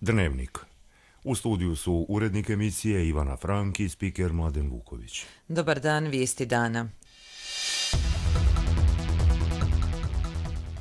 Dnevnik. U studiju su urednik emisije Ivana Frank i spiker Mladen Vuković. Dobar dan, vijesti dana.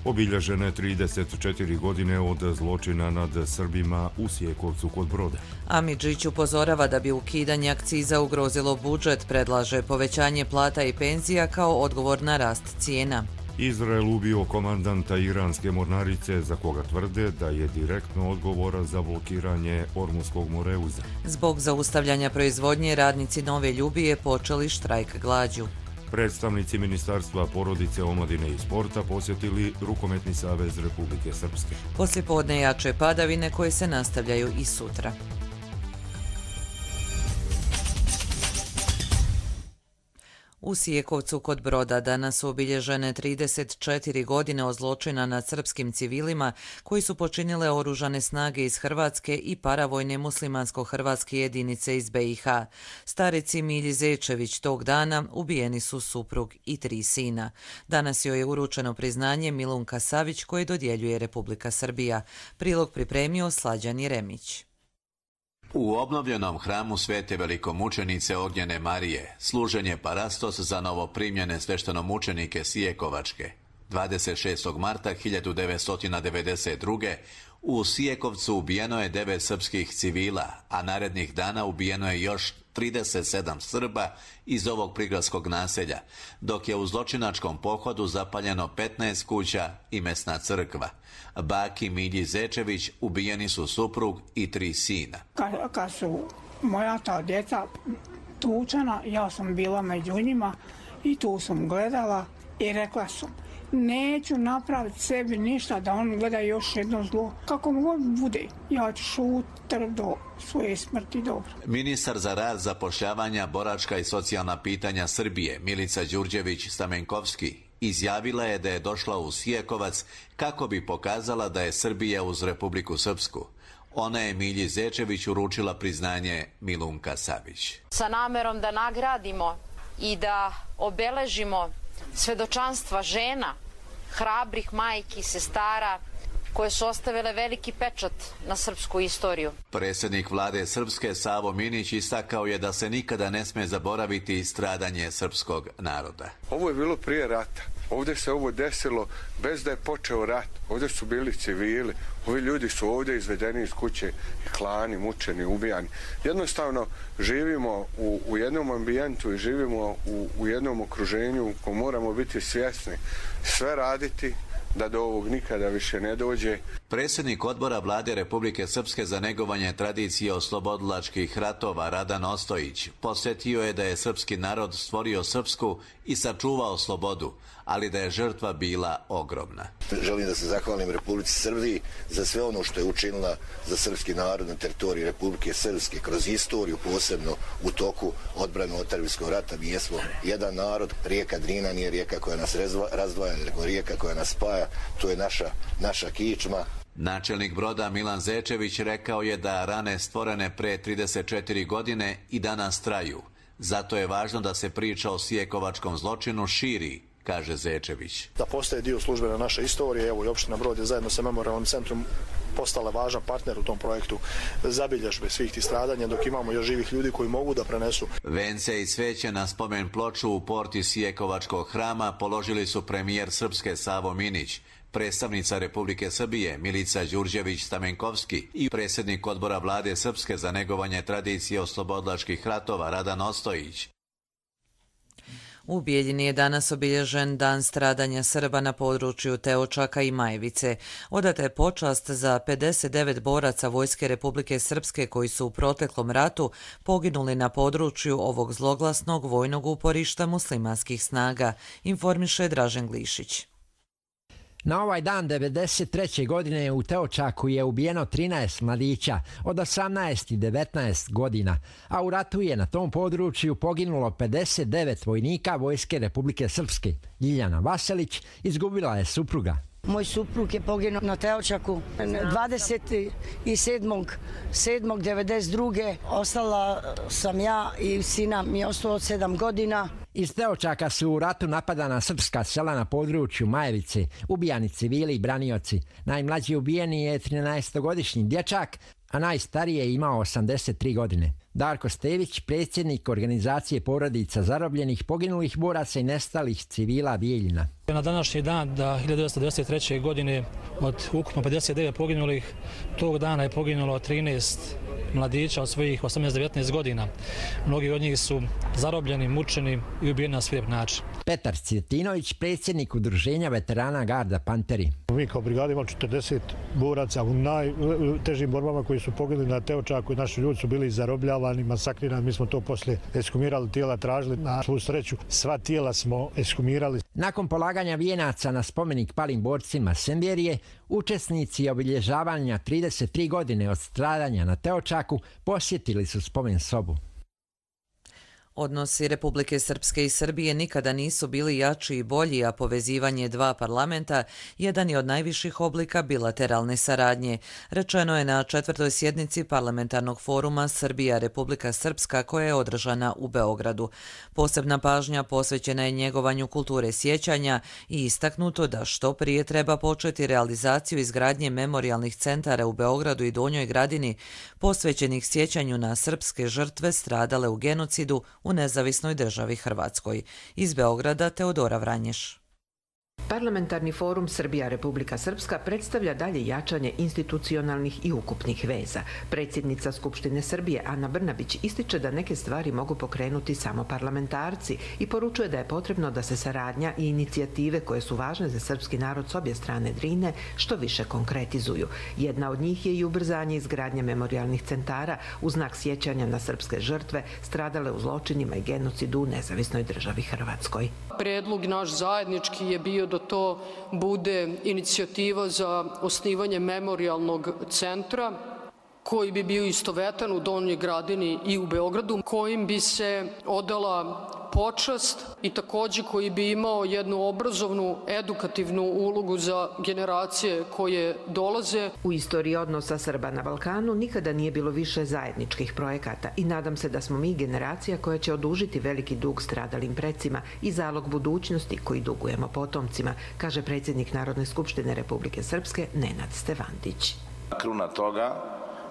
Obilježene 34 godine od zločina nad Srbima u Sijekovcu kod Broda. Amidžić upozorava da bi ukidanje akciza ugrozilo budžet, predlaže povećanje plata i penzija kao odgovor na rast cijena. Izrael ubio komandanta iranske mornarice za koga tvrde da je direktno odgovoran za blokiranje Ormuskog moreuza. Zbog zaustavljanja proizvodnje radnici Nove Ljubije počeli štrajk glađu. Predstavnici Ministarstva porodice, omladine i sporta posjetili Rukometni savez Republike Srpske. Poslijepodne jače padavine koje se nastavljaju i sutra. U Sijekovcu kod Broda danas su obilježene 34 godine od zločina nad srpskim civilima koji su počinile oružane snage iz Hrvatske i paravojne muslimansko-hrvatske jedinice iz BiH. Starici Milji Zečević tog dana ubijeni su suprug i 3 sina. Danas joj je uručeno priznanje Milunka Savić koje dodjeljuje Republika Srbija. Prilog pripremio Slađan Jeremić. U obnovljenom hramu Svete velikomučenice Ognjene Marije služen je parastos za novoprimljene sveštenomučenike Sijekovačke. 26. marta 1992. u Sijekovcu ubijeno je 9 srpskih civila, a narednih dana ubijeno je još 37 Srba iz ovog prigradskog naselja, dok je u zločinačkom pohodu zapaljeno 15 kuća i mesna crkva. Baki Milji Zečević ubijeni su suprug i 3 sina. Kad su moja ta djeca tučena, ja sam bila među njima i tu sam gledala i rekla sam: neću napraviti sebi ništa da on gleda još jedno zlo. Kako mu god bude, ja ću šutir do svoje smrti dobro. Ministar za rad, zapošljavanja, boračka i socijalna pitanja Srbije, Milica Đurđević-Stamenkovski, izjavila je da je došla u Sijekovac kako bi pokazala da je Srbija uz Republiku Srpsku. Ona je Milji Zečević uručila priznanje Milunka Savić. Sa namerom da nagradimo i da obeležimo svedočanstva žena, hrabrih majki, sestara, koje su ostavile veliki pečat na srpsku istoriju. Predsjednik vlade Srpske Savo Minić istakao je da se nikada ne sme zaboraviti stradanje srpskog naroda. Ovo je bilo prije rata. Ovdje se ovo desilo bez da je počeo rat. Ovdje su bili civili. Ovi ljudi su ovdje izvedeni iz kuće, klani, mučeni, ubijani. Jednostavno živimo u jednom ambijentu i živimo u jednom okruženju ko moramo biti svjesni. Sve raditi da do ovog nikada više ne dođe. Predsjednik odbora vlade Republike Srpske za negovanje tradicije oslobodilačkih ratova Radan Ostojić posjetio je da je srpski narod stvorio srpsku i sačuvao slobodu, ali da je žrtva bila ogromna. Želim da se zahvalim Republici Srbiji za sve ono što je učinila za srpski narod na teritoriji Republike Srpske kroz istoriju, posebno u toku odbrane otadžbinskog rata. Mi jesmo jedan narod. Rijeka Drina nije rijeka koja nas razdvaja, nego rijeka koja nas spaja. To je naša kičma. Načelnik Broda Milan Zečević rekao je da rane stvorene pre 34 godine i danas traju. Zato je važno da se priča o sijekovačkom zločinu širi, kaže Zečević. Da postaje dio službene naše istorije, evo i opština Brod je zajedno sa Memorijalnim centrom postala važan partner u tom projektu zabilježbe svih tih stradanja, dok imamo još živih ljudi koji mogu da prenesu. Vence i cveće na spomen ploču u porti Sijekovačkog hrama položili su premijer Srpske Savo Minić, predstavnica Republike Srbije Milica Đurđević-Stamenkovski i predsjednik odbora vlade Srpske za negovanje tradicije oslobodilačkih ratova Radan Ostojić. U Bijeljini je danas obilježen dan stradanja Srba na području Teočaka i Majevice. Odata je počast za 59 boraca Vojske Republike Srpske koji su u proteklom ratu poginuli na području ovog zloglasnog vojnog uporišta muslimanskih snaga, informiše Dražen Glišić. Na ovaj dan 1993. godine u Teočaku je ubijeno 13 mladića od 18 i 19 godina, a u ratu je na tom području poginulo 59 vojnika Vojske Republike Srpske. Ljiljana Vaselić izgubila je supruga. Moj suprug je poginuo na Teočaku 27.7.1992. Ostala sam ja i sina mi je ostalo od 7 godina. Iz Teočaka su u ratu napadana srpska sela na području Majevice, ubijani civili i branioci. Najmlađi ubijeni je 13-godišnji dječak, a najstariji je imao 83 godine. Darko Stević, predsjednik organizacije porodica zarobljenih, poginulih boraca i nestalih civila Bijeljina. Na današnji dan, da 1993. godine, od ukupno 59 poginulih, tog dana je poginulo 13 mladića od svojih 18-19 godina. Mnogi od njih su zarobljeni, mučeni i ubijeni na svirep način. Petar Cvjetinović, predsjednik udruženja veterana Garda Panteri. Mi kao brigada imali 40 boraca u najtežim borbama koji su poginuli na Teočaku i naši ljudi su bili zarobljavani, masakrirani. Mi smo to poslije ekshumirali, tijela tražili. Na svu sreću sva tijela smo ekshumirali. Nakon polaganja vijenaca na spomenik palim borcima Semberije, učesnici obilježavanja 33 godine od stradanja na Teočaku posjetili su spomen sobu. Odnosi Republike Srpske i Srbije nikada nisu bili jači i bolji, a povezivanje dva parlamenta jedan je od najviših oblika bilateralne saradnje, rečeno je na 4. sjednici parlamentarnog foruma Srbija-Republika Srpska koja je održana u Beogradu. Posebna pažnja posvećena je njegovanju kulture sjećanja i istaknuto da što prije treba početi realizaciju izgradnje memorijalnih centara u Beogradu i Donjoj Gradini posvećenih sjećanju na srpske žrtve stradale u genocidu u Nezavisnoj državi Hrvatskoj. Iz Beograda Teodora Vranješ. Parlamentarni forum Srbija-Republika Srpska predstavlja dalje jačanje institucionalnih i ukupnih veza. Predsjednica Skupštine Srbije Ana Brnabić ističe da neke stvari mogu pokrenuti samo parlamentarci i poručuje da je potrebno da se saradnja i inicijative koje su važne za srpski narod s obje strane Drine što više konkretizuju. Jedna od njih je i ubrzanje izgradnje memorijalnih centara u znak sjećanja na srpske žrtve stradale u zločinima i genocidu u Nezavisnoj državi Hrvatskoj. Predlog naš zajednički je bio da to bude inicijativa za osnivanje memorijalnog centra koji bi bio istovetan u Donjoj Gradini i u Beogradu, kojim bi se odala počast i takođe koji bi imao jednu obrazovnu, edukativnu ulogu za generacije koje dolaze. U istoriji odnosa Srba na Balkanu nikada nije bilo više zajedničkih projekata i nadam se da smo mi generacija koja će odužiti veliki dug stradalim precima i zalog budućnosti koji dugujemo potomcima, kaže predsjednik Narodne skupštine Republike Srpske Nenad Stevandić. Kruna toga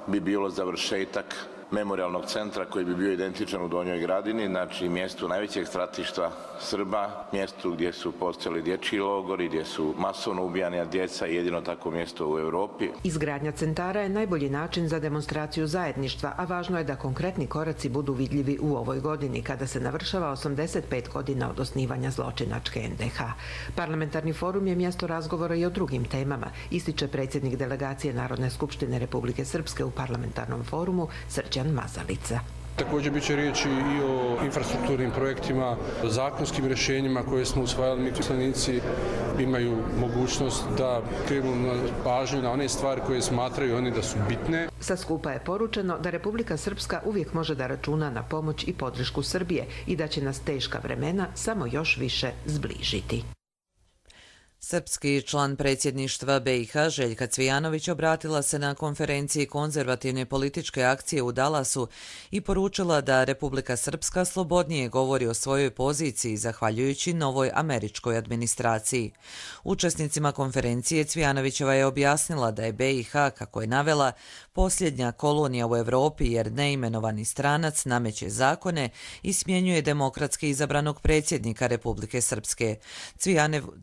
bi bilo završetak memorijalnog centra koji bi bio identičan u Donjoj Gradini, znači mjestu najvećeg stratišta Srba, mjestu gdje su postojali dječji logori, gdje su masovno ubijana djeca i jedino tako mjesto u Europi. Izgradnja centara je najbolji način za demonstraciju zajedništva, a važno je da konkretni koraci budu vidljivi u ovoj godini, kada se navršava 85 godina od osnivanja zločinačke NDH. Parlamentarni forum je mjesto razgovora i o drugim temama, ističe predsjednik delegacije Narodne skupštine Republike Srpske u parlamentarnom forumu Srđan Mazalica. Također bit će riječi i o infrastrukturnim projektima, o zakonskim rješenjima koje smo usvajali. Mi poslanici imaju mogućnost da krenu pažnju na one stvari koje smatraju oni da su bitne. Sa skupa je poručeno da Republika Srpska uvijek može da računa na pomoć i podršku Srbije i da će nas teška vremena samo još više zbližiti. Srpski član predsjedništva BiH Željka Cvijanović obratila se na konferenciji konzervativne političke akcije u Dallasu i poručila da Republika Srpska slobodnije govori o svojoj poziciji zahvaljujući novoj američkoj administraciji. Učesnicima konferencije Cvijanovićeva je objasnila da je BiH, kako je navela, posljednja kolonija u Europi jer neimenovani stranac nameće zakone i smjenjuje demokratski izabranog predsjednika Republike Srpske.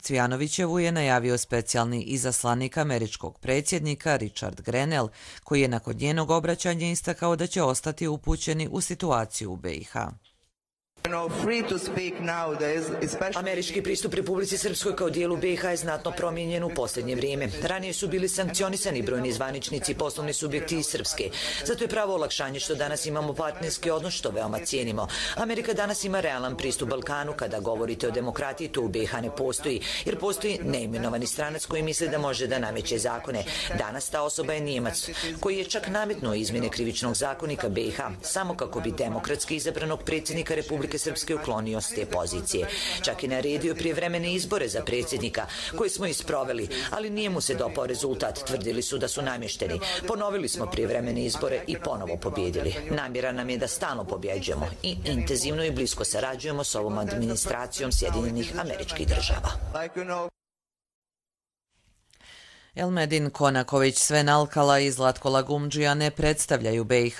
Cvijanovićevu je najavio specijalni izaslanik američkog predsjednika Richard Grenell, koji je nakon njenog obraćanja istakao da će ostati upućeni u situaciju u BiH. Američki pristup Republici Srpskoj kao dijelu BiH je znatno promijenjen u posljednje vrijeme. Ranije su bili sankcionisani brojni zvaničnici i poslovni subjekti iz Srpske. Zato je pravo olakšanje što danas imamo partnerski odnos, što veoma cijenimo. Amerika danas ima realan pristup Balkanu. Kada govorite o demokratiji, to u BiH ne postoji, jer postoji neimenovani stranac koji misli da može da nameće zakone. Danas ta osoba je Nijemac, koji je čak nametnuo izmjene krivičnog zakonika BiH, samo kako bi demokratski izabranog predsjednika Republike Srpske uklonio s te pozicije. Čak i naredio prijevremene izbore za predsjednika, koje smo isproveli, ali nije mu se dopao rezultat. Tvrdili su da su namješteni. Ponovili smo prijevremene izbore i ponovo pobjedili. Namjera nam je da stalno pobjeđujemo i intenzivno i blisko sarađujemo s ovom administracijom Sjedinjenih Američkih Država. Elmedin Konaković, Sven Alkala i Zlatko Lagumdžija ne predstavljaju BiH.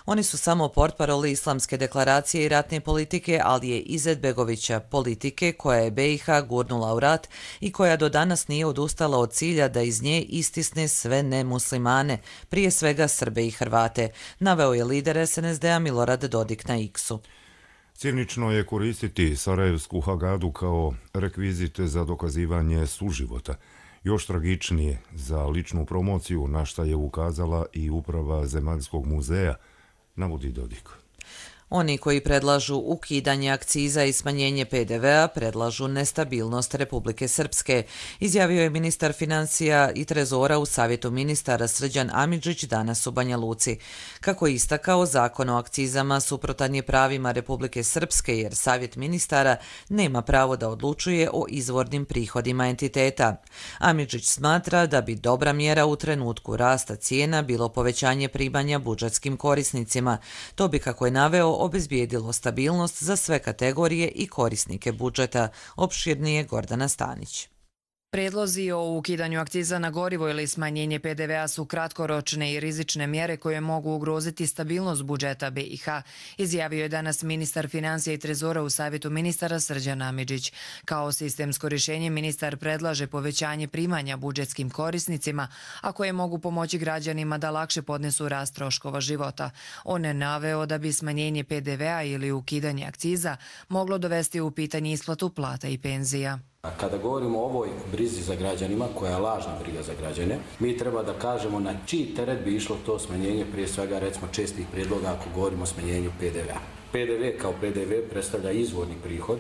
Oni su samo portparoli Islamske deklaracije i ratne politike, ali je Izetbegovića politike koja je BiH gurnula u rat i koja do danas nije odustala od cilja da iz nje istisne sve nemuslimane, prije svega Srbe i Hrvate, naveo je lider SNSD-a Milorad Dodik na X-u. Cinično je koristiti Sarajevsku Hagadu kao rekvizit za dokazivanje suživota. Još tragičnije za ličnu promociju, na šta je ukazala i uprava Zemaljskog muzeja, navodi Dodik. Oni koji predlažu ukidanje akciza i smanjenje PDV-a predlažu nestabilnost Republike Srpske, izjavio je ministar financija i trezora u Savjetu ministara Srđan Amidžić danas u Banja Luci. Kako je istakao, zakon o akcizama suprotan je pravima Republike Srpske jer Savjet ministara nema pravo da odlučuje o izvornim prihodima entiteta. Amidžić smatra da bi dobra mjera u trenutku rasta cijena bilo povećanje primanja budžetskim korisnicima. To bi, kako je naveo, obezbijedilo stabilnost za sve kategorije i korisnike budžeta, opširnije Gordana Stanić. Predlozi o ukidanju akciza na gorivo ili smanjenje PDV-a su kratkoročne i rizične mjere koje mogu ugroziti stabilnost budžeta BiH, izjavio je danas ministar financija i trezora u Savjetu ministara Srđan Amidžić. Kao sistemsko rješenje ministar predlaže povećanje primanja budžetskim korisnicima, a koje mogu pomoći građanima da lakše podnesu rast troškova života. On je naveo da bi smanjenje PDV-a ili ukidanje akciza moglo dovesti u pitanje isplatu plata i penzija. Kada govorimo o ovoj brizi za građanima, koja je lažna briga za građane, mi treba da kažemo na čiji teret bi išlo to smanjenje, prije svega recimo čestih prijedloga ako govorimo o smanjenju PDV-a. PDV kao PDV predstavlja izvorni prihod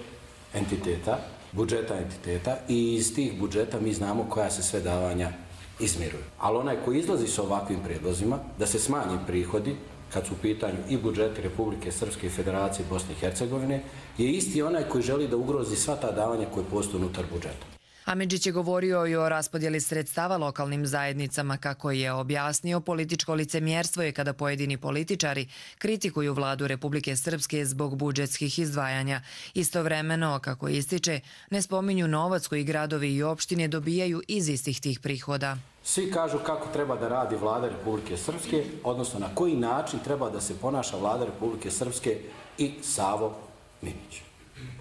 entiteta, budžeta entiteta i iz tih budžeta mi znamo koja se sve davanja izmiruju. Ali onaj koji izlazi sa ovakvim prijedlozima, da se smanji prihodi, kad su u pitanju i budžeti Republike Srpske i Federacije Bosne i Hercegovine, je isti onaj koji želi da ugrozi sva ta davanja koje postoje unutar budžeta. Amidžić je govorio i o raspodjeli sredstava lokalnim zajednicama. Kako je objasnio, političko licemjerstvo je kada pojedini političari kritikuju vladu Republike Srpske zbog budžetskih izdvajanja. Istovremeno, kako ističe, ne spominju novac koji gradovi i opštine dobijaju iz istih tih prihoda. Svi kažu kako treba da radi vlada Republike Srpske, odnosno na koji način treba da se ponaša vlada Republike Srpske i Savo Minić.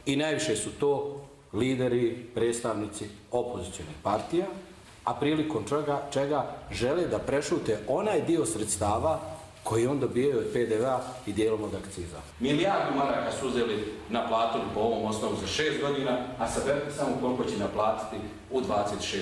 I najviše su to lideri, predstavnici opozicionih partija, a prilikom čega žele da prešute onaj dio sredstava koji on dobijaju od PDV-a i dijelom od akciza. Milijardu maraka su uzeli, naplatili po ovom osnovu za 6 godina, a saberite samo koliko će naplatiti u 26.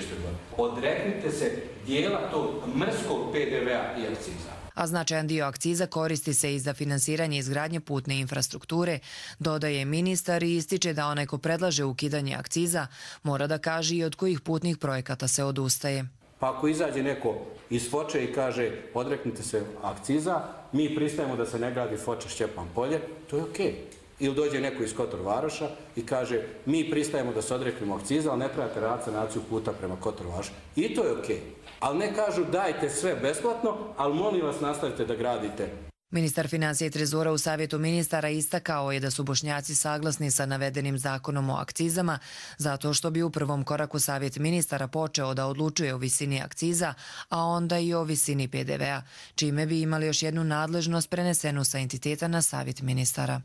godini. Odreknite se dijela tog mrskog PDV-a i akciza. A značajan dio akciza koristi se i za finansiranje izgradnje putne infrastrukture, dodaje ministar i ističe da onaj ko predlaže ukidanje akciza mora da kaže i od kojih putnih projekata se odustaje. Pa ako izađe neko iz Foče i kaže odreknite se akciza, mi pristajemo da se ne gradi Foča Šćepan Polje, to je okej. Ili dođe neko iz Kotor Varoša i kaže mi pristajemo da se odreknemo akciza, ali ne trebate raditi sanaciju puta prema Kotor Varoša. I to je okej. Ali ne kažu dajte sve besplatno, ali molim vas nastavite da gradite. Ministar financija i trezora u Savjetu ministara istakao je da su Bošnjaci saglasni sa navedenim zakonom o akcizama, zato što bi u prvom koraku Savjet ministara počeo da odlučuje o visini akciza, a onda i o visini PDV-a, čime bi imali još jednu nadležnost prenesenu sa entiteta na Savjet ministara.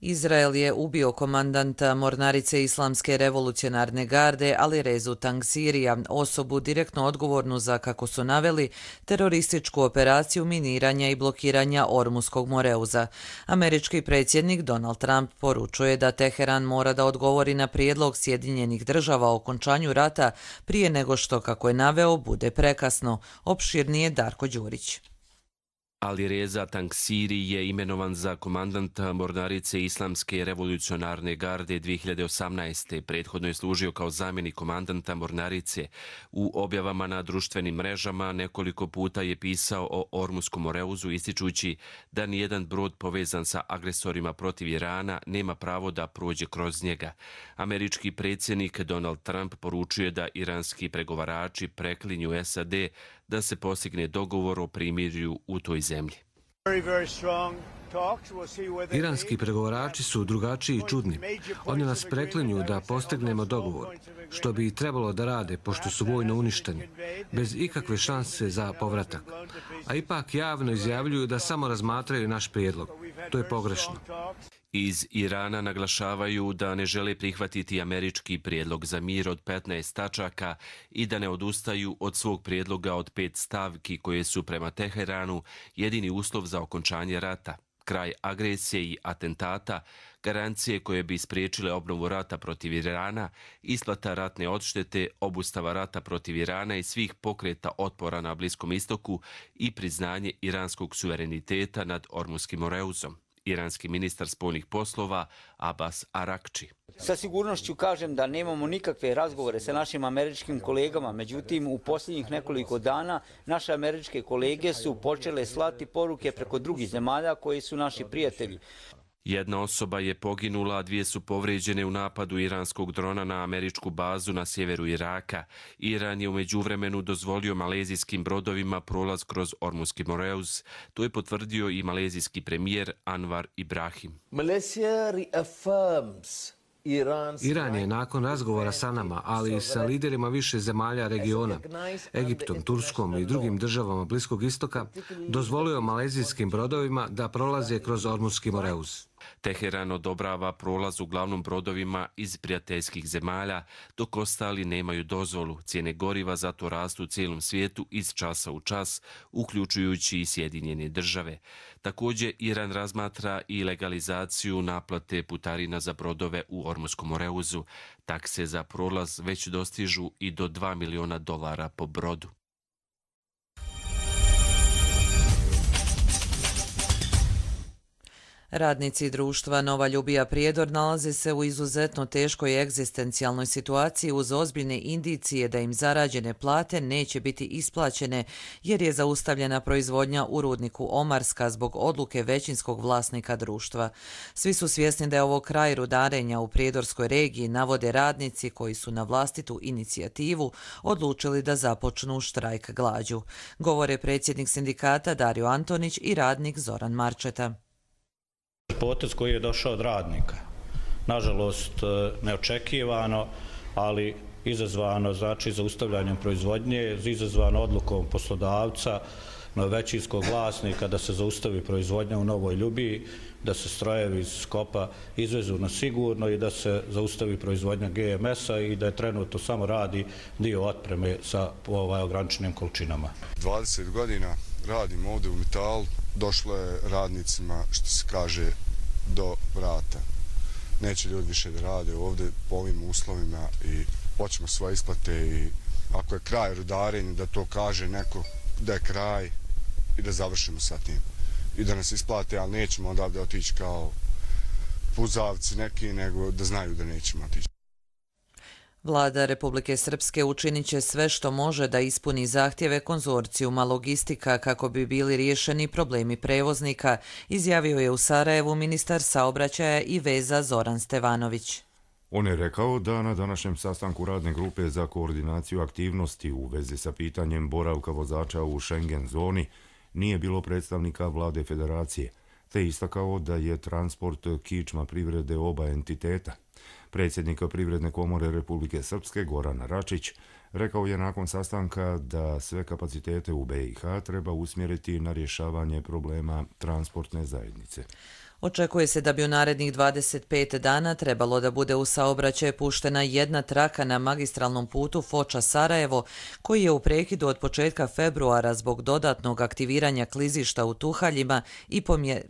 Izrael je ubio komandanta mornarice Islamske revolucionarne garde Alirezu Tangsirija, osobu direktno odgovornu za, kako su naveli, terorističku operaciju miniranja i blokiranja Ormuskog moreuza. Američki predsjednik Donald Trump poručuje da Teheran mora da odgovori na prijedlog Sjedinjenih država o okončanju rata prije nego što, kako je naveo, bude prekasno. Opširnije Darko Đurić. Alireza Tangsiri je imenovan za komandanta mornarice Islamske revolucionarne garde 2018. Prethodno je služio kao zamjenik komandanta mornarice. U objavama na društvenim mrežama nekoliko puta je pisao o Ormuskom moreuzu, ističući da nijedan brod povezan sa agresorima protiv Irana nema pravo da prođe kroz njega. Američki predsjednik Donald Trump poručuje da iranski pregovarači preklinju SAD da se postigne dogovor o primirju u toj zemlji. Iranski pregovarači su drugačiji i čudni. Oni nas preklinju da postignemo dogovor, što bi trebalo da rade pošto su vojno uništeni, bez ikakve šanse za povratak. A ipak javno izjavljuju da samo razmatraju naš prijedlog. To je pogrešno. Iz Irana naglašavaju da ne žele prihvatiti američki prijedlog za mir od 15 tačaka i da ne odustaju od svog prijedloga od 5 stavki koje su prema Teheranu jedini uslov za okončanje rata, kraj agresije i atentata, garancije koje bi spriječile obnovu rata protiv Irana, isplata ratne odštete, obustava rata protiv Irana i svih pokreta otpora na Bliskom istoku i priznanje iranskog suvereniteta nad Ormuškim Moreuzom. Iranski ministar spoljnih poslova Abbas Arakči. Sa sigurnošću kažem da nemamo nikakve razgovore sa našim američkim kolegama, međutim u posljednjih nekoliko dana naše američke kolege su počele slati poruke preko drugih zemalja koji su naši prijatelji. Jedna osoba je poginula, a 2 su povrijeđene u napadu iranskog drona na američku bazu na sjeveru Iraka. Iran je u međuvremenu dozvolio malezijskim brodovima prolaz kroz Ormuški Moreuz. To je potvrdio i malezijski premijer Anwar Ibrahim. Iran je nakon razgovora sa nama, ali i sa liderima više zemalja regiona, Egiptom, Turskom i drugim državama Bliskog istoka, dozvolio malezijskim brodovima da prolaze kroz Ormuški Moreuz. Teheran odobrava prolaz uglavnom brodovima iz prijateljskih zemalja, dok ostali nemaju dozvolu. Cijene goriva zato rastu u cijelom svijetu iz časa u čas, uključujući i Sjedinjene države. Također, Iran razmatra i legalizaciju naplate putarina za brodove u Ormuškom Moreuzu. Takse za prolaz već dostižu i do $2 miliona po brodu. Radnici društva Nova Ljubija Prijedor nalaze se u izuzetno teškoj egzistencijalnoj situaciji uz ozbiljne indicije da im zarađene plate neće biti isplaćene jer je zaustavljena proizvodnja u rudniku Omarska zbog odluke većinskog vlasnika društva. Svi su svjesni da je ovo kraj rudarenja u Prijedorskoj regiji, navode radnici koji su na vlastitu inicijativu odlučili da započnu štrajk glađu. Govore predsjednik sindikata Dario Antonić i radnik Zoran Marčeta. Potez koji je došao od radnika, nažalost neočekivano, ali izazvano znači zaustavljanjem proizvodnje, izazvano odlukom poslodavca, većinskog vlasnika da se zaustavi proizvodnja u Novoj Ljubiji, da se strojevi iz Skopa izvezu na sigurno i da se zaustavi proizvodnja GMS-a i da je trenutno samo radi dio otpreme sa ograničenim količinama. 20 godina radim ovdje u Metalu, došlo je radnicima, što se kaže, do vrata. Neće ljudi više da rade ovdje po ovim uslovima i hoćemo svoje isplate i ako je kraj rudarenja da to kaže neko da je kraj i da završimo sa tim. I da nas isplate, ali nećemo odavde otići kao puzavci neki, nego da znaju da nećemo otići. Vlada Republike Srpske učinit će sve što može da ispuni zahtjeve konzorcijuma Logistika kako bi bili riješeni problemi prevoznika, izjavio je u Sarajevu ministar saobraćaja i veza Zoran Stevanović. On je rekao da na današnjem sastanku radne grupe za koordinaciju aktivnosti u vezi sa pitanjem boravka vozača u Schengen zoni nije bilo predstavnika vlade federacije, te istakao da je transport kičma privrede oba entiteta. Predsjednik Privredne komore Republike Srpske Goran Račić rekao je nakon sastanka da sve kapacitete u BiH treba usmjeriti na rješavanje problema transportne zajednice. Očekuje se da bi u narednih 25 dana trebalo da bude u saobraćaj puštena jedna traka na magistralnom putu Foča-Sarajevo, koji je u prekidu od početka februara zbog dodatnog aktiviranja klizišta u Tuhaljima i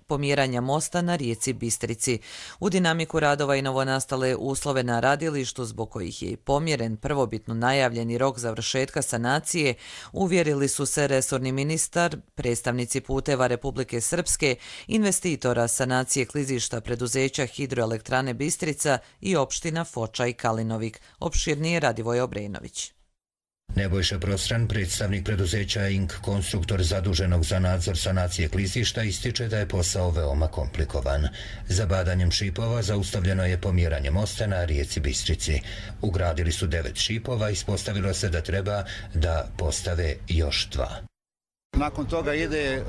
pomjeranja mosta na rijeci Bistrici. U dinamiku radova i novonastale uslove na radilištu, zbog kojih je pomjeren prvobitno najavljeni rok završetka sanacije, uvjerili su se resorni ministar, predstavnici puteva Republike Srpske, investitora sanacije klizišta preduzeća Hidroelektrane Bistrica i opština Foča i Kalinovik. Opširnije Radivoj Obrenović. Nebojša Prostran, predstavnik preduzeća INK Konstruktor zaduženog za nadzor sanacije klizišta, ističe da je posao veoma komplikovan. Zabadanjem šipova zaustavljeno je pomjeranje mosta na rijeci Bistrici. Ugradili su 9 šipova, ispostavilo se da treba da postave još 2. Nakon toga ide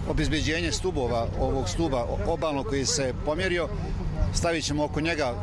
obezbeđenje stubova, ovog stuba obalnog koji se pomjerio. Stavit ćemo oko njega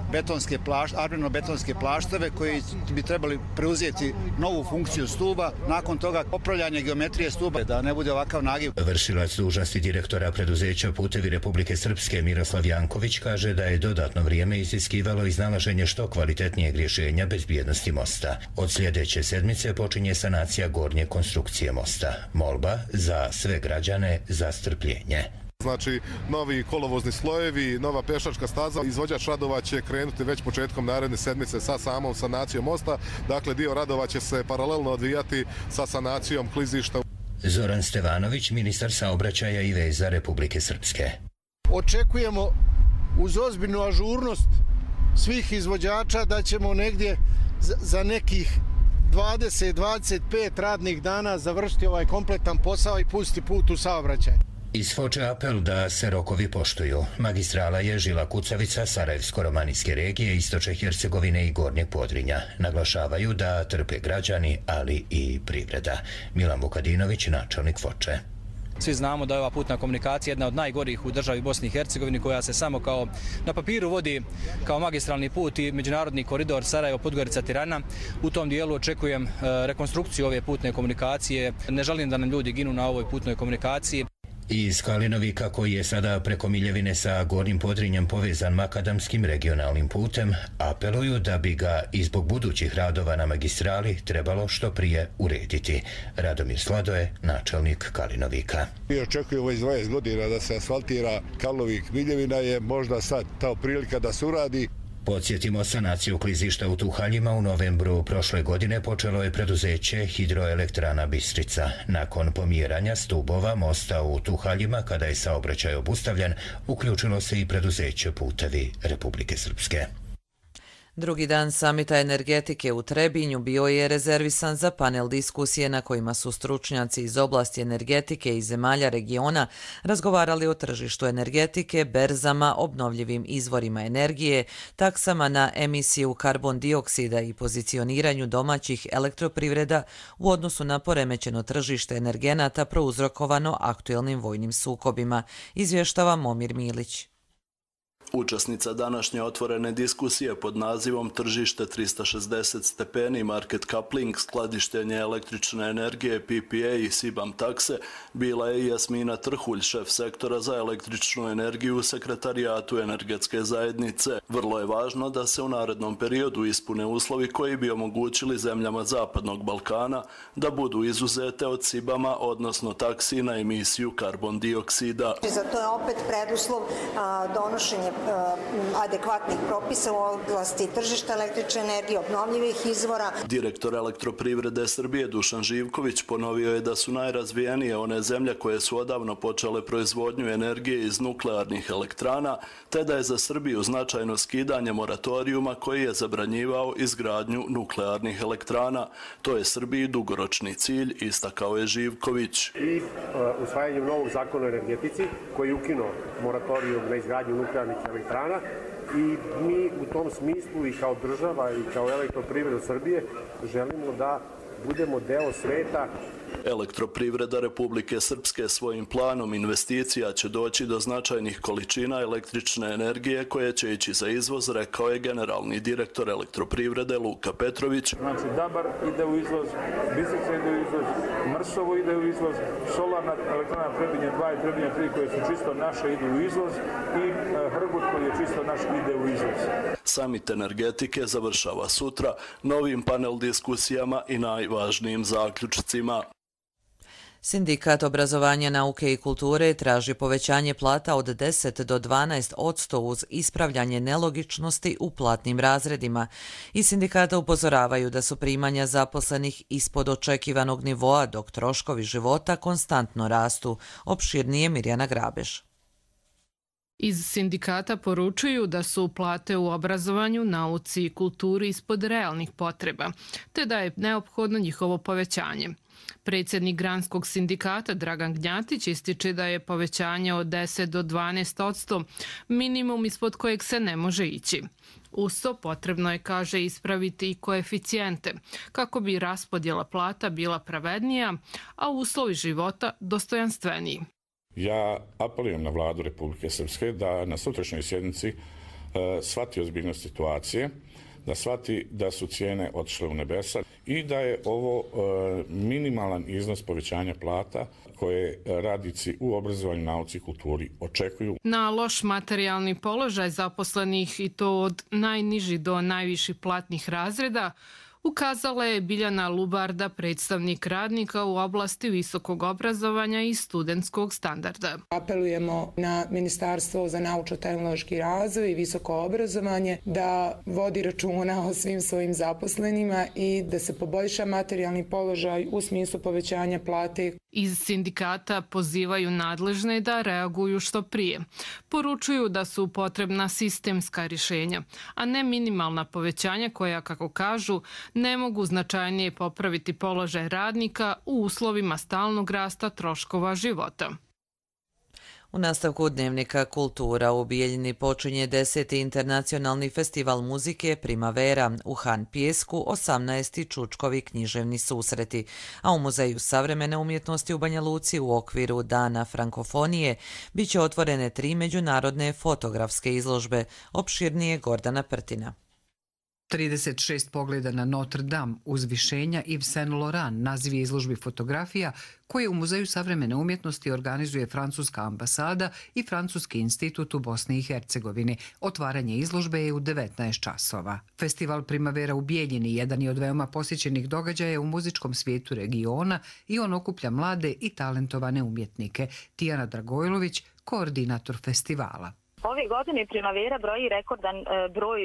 armeno-betonske plašteve koji bi trebali preuzeti novu funkciju stuba. Nakon toga popravljanje geometrije stuba da ne bude ovakav nagiv. Vršilac dužnosti direktora preduzeća Putevi Republike Srpske Miroslav Janković kaže da je dodatno vrijeme iziskivalo iznalaženje što kvalitetnijeg rješenja bezbjednosti mosta. Od sljedeće sedmice počinje sanacija gornje konstrukcije mosta. Molba za sve građane za strpljenje. Znači, novi kolovozni slojevi, nova pješačka staza. Izvođač radova će krenuti već početkom naredne sedmice sa samom sanacijom mosta. Dakle, dio radova će se paralelno odvijati sa sanacijom klizišta. Zoran Stevanović, ministar saobraćaja i veza Republike Srpske. Očekujemo uz ozbiljnu ažurnost svih izvođača da ćemo negdje za nekih 20-25 radnih dana završiti ovaj kompletan posao i pustiti put u saobraćaj. Iz Foče apel da se rokovi poštuju. Magistrala je žila kucavica Sarajevsko-romanijske regije, Istočne Hercegovine i Gornjeg Podrinja. Naglašavaju da trpe građani, ali i privreda. Milan Vukadinović, načelnik Foče. Svi znamo da je ova putna komunikacija jedna od najgorih u državi Bosni i Hercegovini, koja se samo kao na papiru vodi kao magistralni put i međunarodni koridor Sarajevo-Podgorica-Tirana. U tom dijelu očekujem rekonstrukciju ove putne komunikacije. Ne želim da nam ljudi ginu na ovoj putnoj komunikaciji. Iz Kalinovika, koji je sada preko Miljevine sa Gornjim Podrinjem povezan makadamskim regionalnim putem, apeluju da bi ga i zbog budućih radova na magistrali trebalo što prije urediti. Radomir Sladoje, načelnik Kalinovika. Mi očekujemo iz 20 godina da se asfaltira Karlovik-Miljevina, je možda sad ta prilika da se uradi. Podsjetimo, sanaciju klizišta u Tuhaljima u novembru prošle godine počelo je preduzeće Hidroelektrana Bistrica. Nakon pomjeranja stubova mosta u Tuhaljima, kada je saobraćaj obustavljen, uključilo se i preduzeće Putevi Republike Srpske. Drugi dan samita energetike u Trebinju bio je rezervisan za panel diskusije na kojima su stručnjaci iz oblasti energetike i zemalja regiona razgovarali o tržištu energetike, berzama, obnovljivim izvorima energije, taksama na emisiju karbon dioksida i pozicioniranju domaćih elektroprivreda u odnosu na poremećeno tržište energenata prouzrokovano aktuelnim vojnim sukobima, izvještava Momir Milić. Učesnica današnje otvorene diskusije pod nazivom Tržište 360 stepeni, market coupling, skladištenje električne energije, PPA i SIBAM takse bila je Jasmina Trhulj, šef sektora za električnu energiju u Sekretarijatu energetske zajednice. Vrlo je važno da se u narednom periodu ispune uslovi koji bi omogućili zemljama Zapadnog Balkana da budu izuzete od SIBAMA, odnosno taksi na emisiju karbon dioksida. Za to je opet preduslov donošenje adekvatnih propisa u oblasti tržišta električne energije, obnovljivih izvora. Direktor Elektroprivrede Srbije Dušan Živković ponovio je da su najrazvijenije one zemlje koje su odavno počele proizvodnju energije iz nuklearnih elektrana, te da je za Srbiju značajno skidanje moratorijuma koji je zabranjivao izgradnju nuklearnih elektrana. To je Srbiji dugoročni cilj, istakao je Živković. I usvajanjem novog zakona o energetici koji je ukinuo moratorijum na izgradnju nuklearnih elektrana, i mi u tom smislu i kao država i kao Elektroprivreda Srbije želimo da budemo deo sveta. Elektroprivreda Republike Srpske svojim planom investicija će doći do značajnih količina električne energije koje će ići za izvoz, rekao je generalni direktor Elektroprivrede Luka Petrović. Znači, Dabar ide u izvoz, Bistrica ide u izvoz, Mršovo ide u izvoz, solarna elektrana Trebinje 2 i Trebinje 3 koje su čisto naše idu u izvoz i Hrgut koji je čisto naš ide u izvoz. Samit energetike završava sutra novim panel diskusijama i najvažnijim zaključcima. Sindikat obrazovanja, nauke i kulture traži povećanje plata od 10 do 12% uz ispravljanje nelogičnosti u platnim razredima. Iz sindikata upozoravaju da su primanja zaposlenih ispod očekivanog nivoa, dok troškovi života konstantno rastu. Opširnije Mirjana Grabež. Iz sindikata poručuju da su plate u obrazovanju, nauci i kulturi ispod realnih potreba, te da je neophodno njihovo povećanje. Predsjednik Granskog sindikata Dragan Gnjatić ističe da je povećanje od 10 do 12% minimum ispod kojeg se ne može ići. Uz to potrebno je, kaže, ispraviti i koeficijente kako bi raspodjela plata bila pravednija, a uslovi života dostojanstveniji. Ja apelujem na vladu Republike Srpske da na sutrašnjoj sjednici shvati ozbiljnost situacije, da shvati da su cijene otišle u nebesa i da je ovo minimalan iznos povećanja plata koje radnici u obrazovanju, nauci i kulturi očekuju. Na loš materijalni položaj zaposlenih i to od najnižih do najviših platnih razreda ukazala je Biljana Lubarda, predstavnik radnika u oblasti visokog obrazovanja i studentskog standarda. Apelujemo na Ministarstvo za naučno-tehnološki razvoj i visoko obrazovanje da vodi računa o svim svojim zaposlenima i da se poboljša materijalni položaj u smislu povećanja plate. Iz sindikata pozivaju nadležne da reaguju što prije. Poručuju da su potrebna sistemska rješenja, a ne minimalna povećanja koja, kako kažu, ne mogu značajnije popraviti položaj radnika u uslovima stalnog rasta troškova života. U nastavku Dnevnika Kultura u Bijeljini počinje 10. internacionalni festival muzike Primavera, u Han Pijesku 18. Čučkovi književni susreti, a u Muzeju savremene umjetnosti u Banja Luci u okviru Dana frankofonije bit će otvorene 3 međunarodne fotografske izložbe, opširnije Gordana Prtina. 36 pogleda na Notre Dame, uzvišenja Yves Saint Laurent, naziv je izložbi fotografija koje u Muzeju savremene umjetnosti organizuje Francuska ambasada i Francuski institut u Bosni i Hercegovini. Otvaranje izložbe je u 19 časova. Festival Primavera u Bijeljini jedan je od veoma posjećenih događaja u muzičkom svijetu regiona i on okuplja mlade i talentovane umjetnike. Tijana Dragojlović, koordinator festivala. Ove godine Primavera broji rekordan broj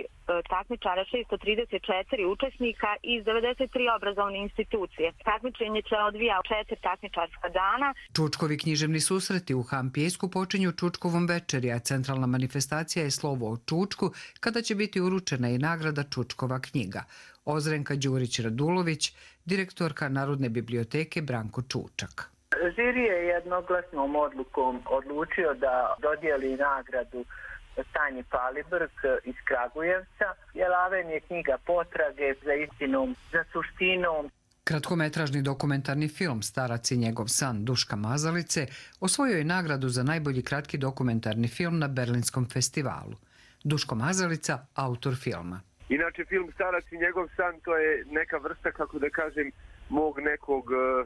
takmičara, 634 učesnika iz 93 obrazovne institucije. Takmičenje se odvija 4 takmičarska dana. Čučkovi književni susreti u Han Pijesku počinju Čučkovom večeri, a centralna manifestacija je slovo o Čučku, kada će biti uručena i nagrada Čučkova knjiga. Ozrenka Đurić-Radulović, direktorka Narodne biblioteke Branko Čučak. Žiri je jednoglasnom odlukom odlučio da dodijeli nagradu Tanji Palibrk iz Kragujevca. Jelaven je knjiga potrage za istinom, za suštinom. Kratkometražni dokumentarni film Starac i njegov san Duška Mazalice osvojio je nagradu za najbolji kratki dokumentarni film na Berlinskom festivalu. Duško Mazalica, autor filma. Inače, film Starac i njegov san, to je neka vrsta, kako da kažem, mog nekog,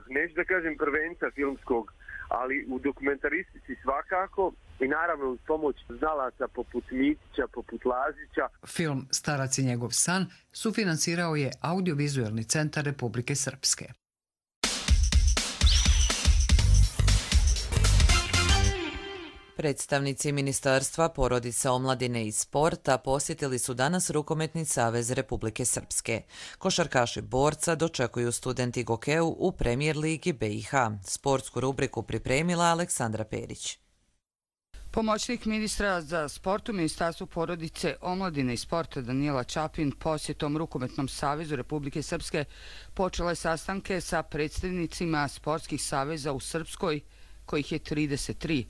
neću da kažem prvenca filmskog, ali u dokumentaristici svakako i naravno uz pomoć znalaca poput Mitića, poput Lazića. Film Starac i njegov san sufinansirao je Audiovizualni centar Republike Srpske. Predstavnici Ministarstva porodice, omladine i sporta posjetili su danas Rukometni savez Republike Srpske. Košarkaši Borca dočekuju studenti Gokeu u Premijer ligi BiH. Sportsku rubriku pripremila Aleksandra Perić. Pomoćnik ministra za sport u Ministarstvu porodice, omladine i sporta Danijela Čapin posjetom Rukometnom savezu Republike Srpske počela je sastanke sa predstavnicima sportskih saveza u Srpskoj, kojih je 33.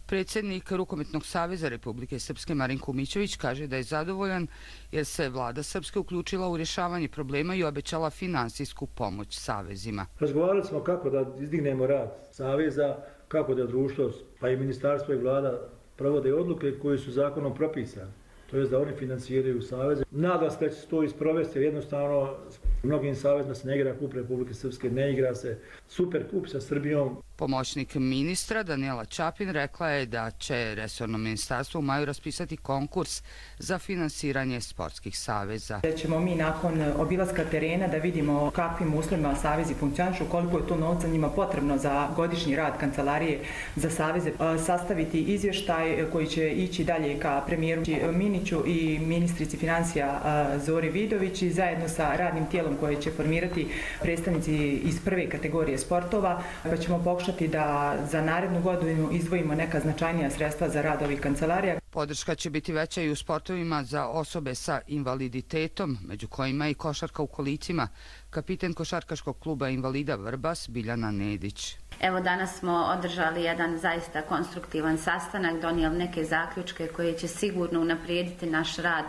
Predsjednik Rukometnog saveza Republike Srpske Marin Kumićević kaže da je zadovoljan jer se vlada Srpske uključila u rješavanje problema i obećala finansijsku pomoć savezima. Razgovarali smo kako da izdignemo rad saveza, kako da društvo, pa i ministarstvo i vlada provode odluke koje su zakonom propisane. To je da oni finansiraju saveze. Nadam se da će se to isprovesti jer jednostavno mnogim savezima se ne igra kup Republike Srpske, ne igra se super kup sa Srbijom. Pomoćnik ministra Danijela Čapin rekla je da će resorno ministarstvo u maju raspisati konkurs za finansiranje sportskih saveza. Da ćemo mi nakon obilaska terena da vidimo kakvim uslovima savezi funkcionišu, koliko je to novca njima potrebno za godišnji rad kancelarije za saveze, sastaviti izvještaj koji će ići dalje ka premijeru Miniću i ministrici financija Zori Vidović i zajedno sa radnim tijelom koje će formirati predstavnici iz prve kategorije sportova, pa ćemo pokušati da za narednu godinu izdvojimo neka značajnija sredstva za rad ovih kancelarija. Podrška će biti veća i u sportovima za osobe sa invaliditetom, među kojima i košarka u kolicima. Kapiten košarkaškog kluba invalida Vrbas Biljana Nedić. Evo danas smo održali jedan zaista konstruktivan sastanak, donijeli neke zaključke koje će sigurno unaprijediti naš rad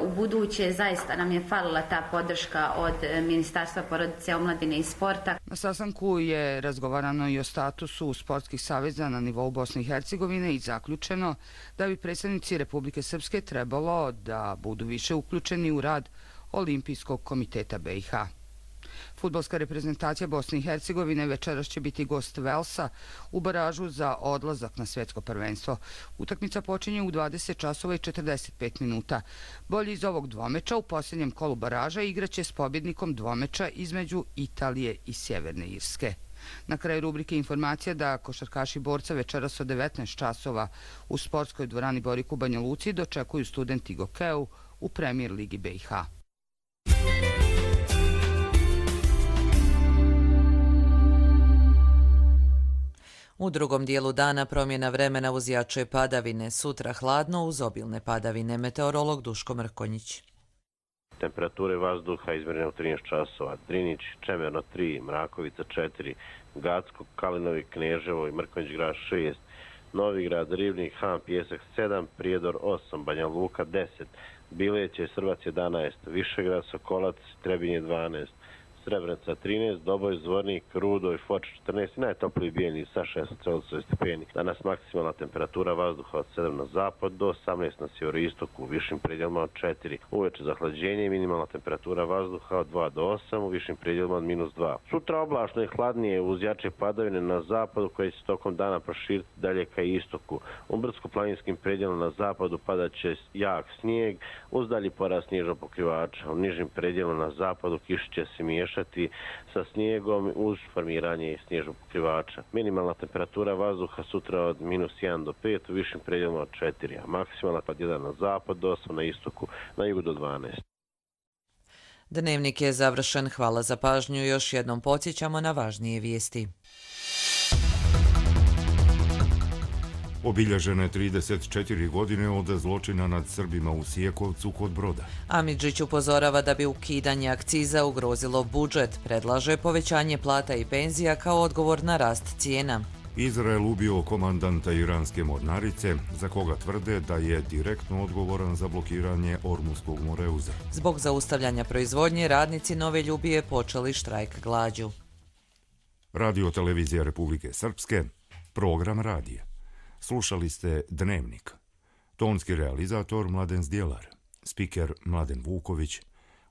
u buduće. Zaista nam je falila ta podrška od Ministarstva porodice, omladine i sporta. Na sastanku je razgovarano i o statusu sportskih saveza na nivou Bosne i Hercegovine i zaključeno da bi predstavnici Republike Srpske trebalo da budu više uključeni u rad Olimpijskog komiteta BiH. Fudbalska reprezentacija Bosne i Hercegovine večeras će biti gost Velsa u baražu za odlazak na svjetsko prvenstvo. Utakmica počinje u 20 časova i 45 minuta. Bolji iz ovog dvomeča u posljednjem kolu baraža igraće s pobjednikom dvomeča između Italije i Sjeverne Irske. Na kraju rubrike informacija da košarkaši Borca večeras od 19 časova u sportskoj dvorani Borik u Banja Luci dočekuju studenti Gokeu u Premier ligi BiH. U drugom dijelu dana promjena vremena uz jače padavine, sutra hladno uz obilne padavine. Meteorolog Duško Mrkonjić. Temperature vazduha izmjerene u 13 časova. Drinić, Čemerno 3, Mrakovica 4, Gacko, Kalinovi, Kneževo i Mrkonjić grad 6, Novigrad, Rivnik, Han, Pjesak 7, Prijedor 8, Banja Luka 10, Bileće, Srbac 11, Višegrad, Sokolac, Trebinje 12, Srebrenica 13, Doboj, Zvornik, Rudo i Foč 14 i najtopliji Bijeljni sa 16 stepeni. Danas maksimalna temperatura vazduha od 7 na zapad do 18 na sjeveroistoku, u višim predjelima od 4. Uveče zahlađenje i minimalna temperatura vazduha od 2 do 8, u višim predjelima od -2. Sutra oblačno i hladnije uz jače padavine na zapadu koje će tokom dana proširiti dalje ka istoku. U brdsko-planinskim predjelima na zapadu padat će jak snijeg uz dalji porast snježnog pokrivača. U nižim predjelima na zapadu kiša će se miješati sa snijegom uz formiranje snježnog pokrivača. Minimalna temperatura vazduha sutra od -1 do 5, u višim predjelima od 4, a maksimalna od 1 na zapad do 8 na istoku, na jugu do 12. Dnevnik je završen. Hvala za pažnju. Još jednom podsjećamo na važnije vijesti. Obilježene 34 godine od zločina nad Srbima u Sijekovcu kod Broda. Amidžić upozorava da bi ukidanje akciza ugrozilo budžet, predlaže povećanje plata i penzija kao odgovor na rast cijena. Izrael ubio komandanta iranske mornarice, za koga tvrde da je direktno odgovoran za blokiranje Ormuskog moreuza. Zbog zaustavljanja proizvodnje, radnici Nove Ljubije počeli štrajk glađu. Radio Televizija Republike Srpske, program radija. Slušali ste Dnevnik. Tonski realizator Mladen Zdjelar, spiker Mladen Vuković,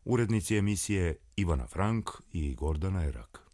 urednici emisije Ivana Frank i Gordana Erak.